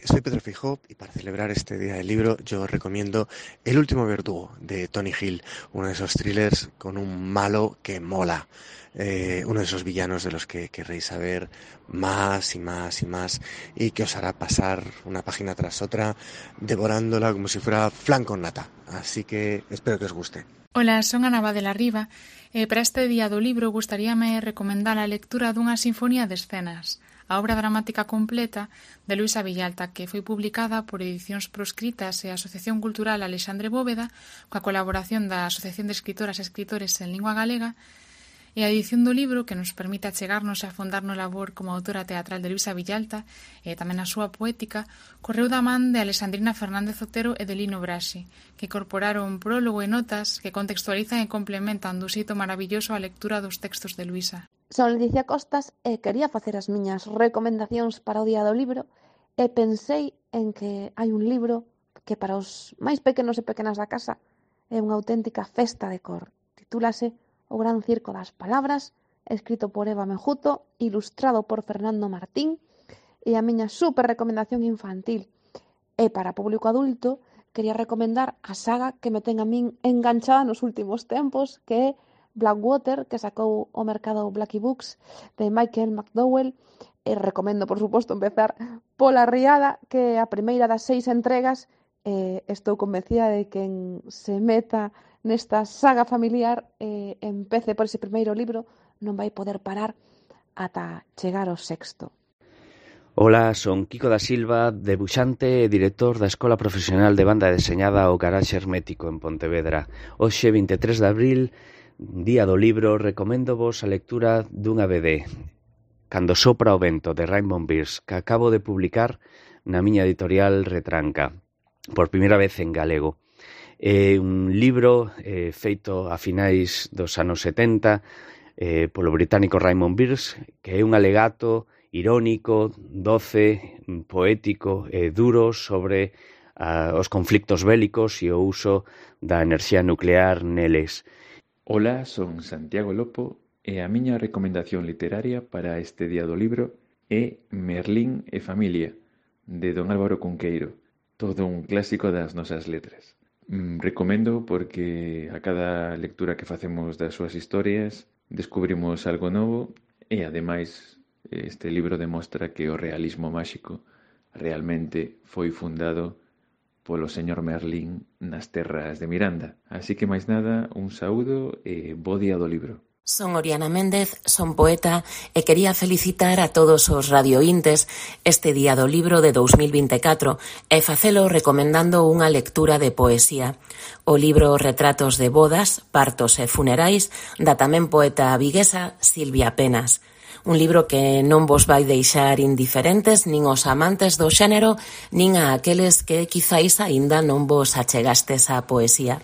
Soy Pedro Feijóo y para celebrar este Día del Libro yo recomiendo El último verdugo de Tony Hill, uno de esos thrillers con un malo que mola, uno de esos villanos de los que querréis saber más y más y más y que os hará pasar una página tras otra devorándola como si fuera flan con nata. Así que espero que os guste. Ola, son Ana Badela Riva e para este Día do Libro gustaríame recomendar a lectura dunha sinfonía de escenas, a obra dramática completa de Luisa Villalta, que foi publicada por Edicións Proscritas e a Asociación Cultural Alexandre Bóveda, coa colaboración da Asociación de Escritoras e Escritores en Lingua Galega, e a edición do libro que nos permite achegarnos e afondar no labor como autora teatral de Luisa Villalta e tamén a súa poética, correu da man de Alexandrina Fernández Otero e de Lino Brasi, que incorporaron prólogo e notas que contextualizan e complementan dun xeito maravilloso a lectura dos textos de Luisa. Son Leticia Costas e quería facer as miñas recomendacións para o Día do Libro e pensei en que hai un libro que para os máis pequenos e pequenas da casa é unha auténtica festa de cor. Titúlase O Gran Circo das Palabras, escrito por Eva Mejuto, ilustrado por Fernando Martín, e a miña super recomendación infantil. E para público adulto, quería recomendar a saga que me ten a min enganchada nos últimos tempos, que é Blackwater, que sacou ao mercado Blackie Books, de Michael McDowell. E recomendo, por suposto, empezar pola Riada, que é a primeira das 6 entregas. Estou convencida de que quen se meta nesta saga familiar e empece por ese primeiro libro non vai poder parar ata chegar ao sexto. Ola, son Kiko da Silva, debuxante e director da Escola Profesional de Banda Deseñada O Garaxe Hermético en Pontevedra. Hoxe, 23 de abril, Día do Libro, recomendo vos a lectura dunha BD, Cando sopra o vento, de Raymond Birch, que acabo de publicar na miña editorial Retranca, por primeira vez en galego. É un libro feito a finais dos anos 70 polo británico Raymond Birch, que é un alegato irónico, doce, poético e duro sobre os conflictos bélicos e o uso da enerxía nuclear neles. Ola, son Santiago Lopo e a miña recomendación literaria para este Día do Libro é Merlín e familia, de don Álvaro Cunqueiro, todo un clásico das nosas letras. Recomendo porque a cada lectura que facemos das súas historias descubrimos algo novo e, ademais, este libro demostra que o realismo máxico realmente foi fundado polo señor Merlín nas terras de Miranda. Así que, máis nada, un saúdo e bo Día do Libro. Son Oriana Méndez, son poeta e quería felicitar a todos os radiointes este Día do Libro de 2024 e facelo recomendando unha lectura de poesía. O libro Retratos de bodas, partos e funerais da tamén poeta viguesa Silvia Penas. Un libro que non vos vai deixar indiferentes nin os amantes do xénero nin a aqueles que quizáis aínda non vos achegastes á poesía.